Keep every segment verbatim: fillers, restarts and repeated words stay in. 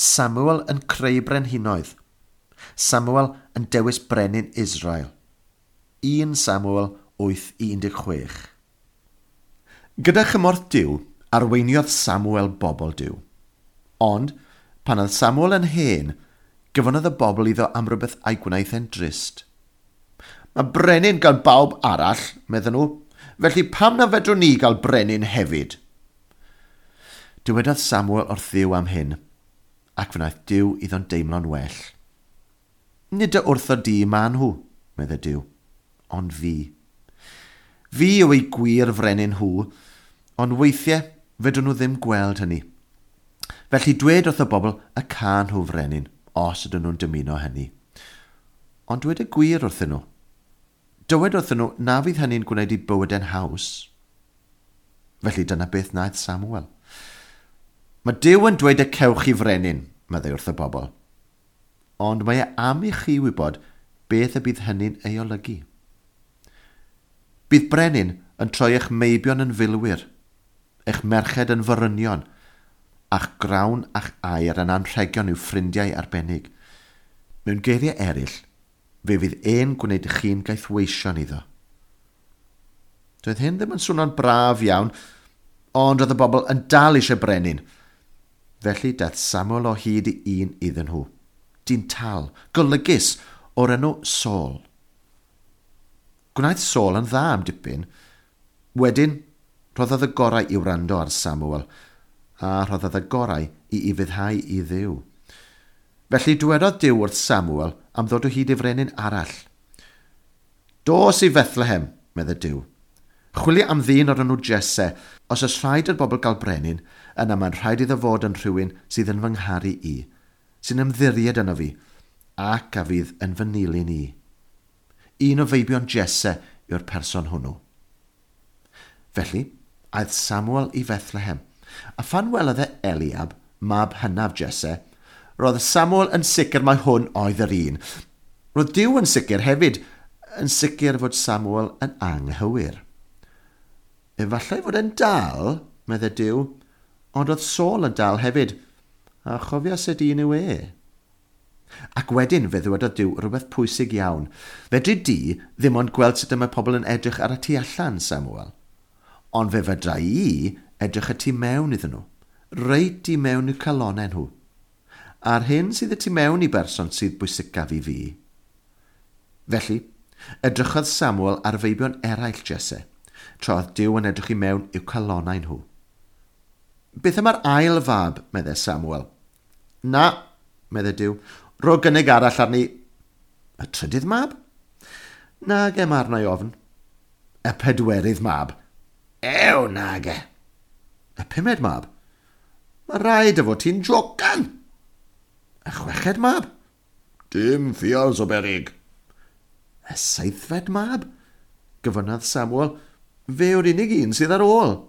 Samuel yn creu brenhinoedd. Samuel yn dewis brenin Israel. un Samuel wyth i un deg chwech. Gyda chymorth Duw, arweiniodd Samuel bobl Duw. Ond, pan oedd Samuel yn hen, gyfonodd y bobl iddo am rywbeth a'i gwnaeth e'n drist. Mae brenin gan bawb arall, medden nhw, felly pam na fedrwn ni gael brenin hefyd? Dywedodd Samuel wrth Dduw am hyn, ac fe wnaeth Duw iddo'n deimlo'n well. Nid y wrtho di ma nhw, meddai Duw, ond fi. Fi yw eu gwir frenin nhw, ond weithiau fedrwn nhw ddim gweld hynny. Felly dwed wrth y bobl y can nhw frenin, os ydyn nhw'n dymuno hynny. Ond dwed y gwir wrthyn nhw. Dywed wrthyn nhw na fydd hynny'n gwneud eu bywydau'n haws. Felly dyna beth wnaeth Samuel. Mae Duw yn dweud y cewch chi frenin, meddai wrth y bobl. Ond mae e am i chi wybod beth y bydd hynny'n ei olygu. Bydd brenin yn troi eich meibion yn filwyr, eich merched yn forynion, a'ch grawn a'ch aur yn anrhegion i'w ffrindiau arbennig. Mewn geiriau eraill, fe fydd e'n gwneud chi'n gaethweision iddo. Doedd hyn ddim yn swnio'n braf iawn, ond oedd y bobl yn dal eisiau brenin. Felly daeth Samuel o hyd i un iddyn nhw. Dyn tal, golygus, o'r enw Saul. Gwnaeth Saul yn dda am dipyn. Wedyn, rhoddodd y gorau i wrando ar Samuel, a rhoddodd y gorau i ufuddhau i Dduw. Felly dywedodd Duw wrth Samuel am ddod o hyd i frenin arall. Dos i Bethlehem, meddai Duw. Chwilio am ddyn o'r enw Jesse. Os oes rhaid i'r bobl gael brenin, yna mae'n rhaid iddo fod yn rhywun sydd yn fy ngharu i, sy'n ymddiried yno fi, ac a fydd yn fy nilyn i. Un o feibion Jesse yw'r person hwnnw. Felly, aeth Samuel i Bethlehem, a phan welodd e Eliab, mab hynaf Jesse, roedd Samuel yn sicr mai hwn oedd yr un. Roedd Duw yn sicr hefyd, yn sicr fod Samuel yn anghywir. Efallai fod e'n dal, meddai Duw, ond oedd Saul yn dal hefyd, a chofia sut un yw e. Ac wedyn fe ddywedodd Duw rhywbeth pwysig iawn. Fedri di ddim ond gweld sut y mae pobl yn edrych ar y tu allan, Samuel. Ond fe fedra i edrych y tu mewn iddyn nhw, reit i mewn i'w calonnau nhw. A'r hyn sydd y tu mewn i berson sydd bwysicaf i fi. Felly, edrychodd Samuel ar feibion eraill Jesse, tra oedd Duw yn edrych i mewn i'w calonnau nhw. Beth am yr ail fab, meddai Samuel. Na, meddai Duw, ro gynnig arall arni. Y trydydd mab? Nage, mae arna i ofn. Y pedwerydd mab? Ew, nage. Y pumed mab? Mae rhaid y fod ti'n jocan. Y chweched mab? Dim ffials o berig. Y seithfed mab? Gofynnodd Samuel, fe yw'r unig un sydd ar ôl.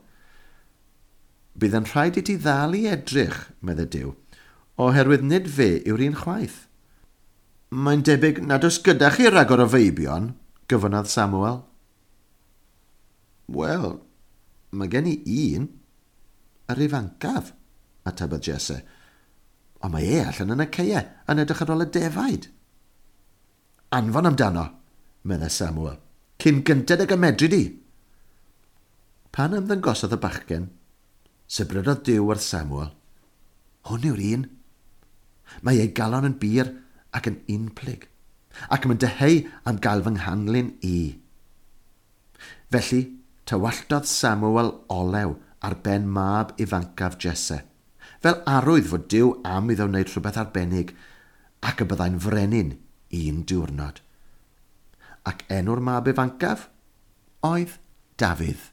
Bydd yn rhaid i ti ddal i edrych, meddai Duw, oherwydd nid fe yw'r un chwaith. Mae'n debyg nad oes gyda chi ragor o feibion, gofynnodd Samuel. Wel, mae gen i un, yr ifancaf, atebodd Jesse. Ond mae e allan yn y caeau yn edrych ar ôl y defaid. Anfon amdano, meddai Samuel, cyn gynted ag y medri di. Pan ymddangosodd y bachgen, sibrydodd Duw wrth Samuel. Hwn yw'r un. Mae ei galon yn bur ac yn unplyg, ac mae'n dyheu am gael fy nghanlyn i. Felly, tywalltodd Samuel olew ar ben mab ifancaf Jesse, fel arwydd fod Duw am iddo wneud rhywbeth arbennig, ac y byddai'n frenin un diwrnod. Ac enw'r mab ifancaf oedd Dafydd.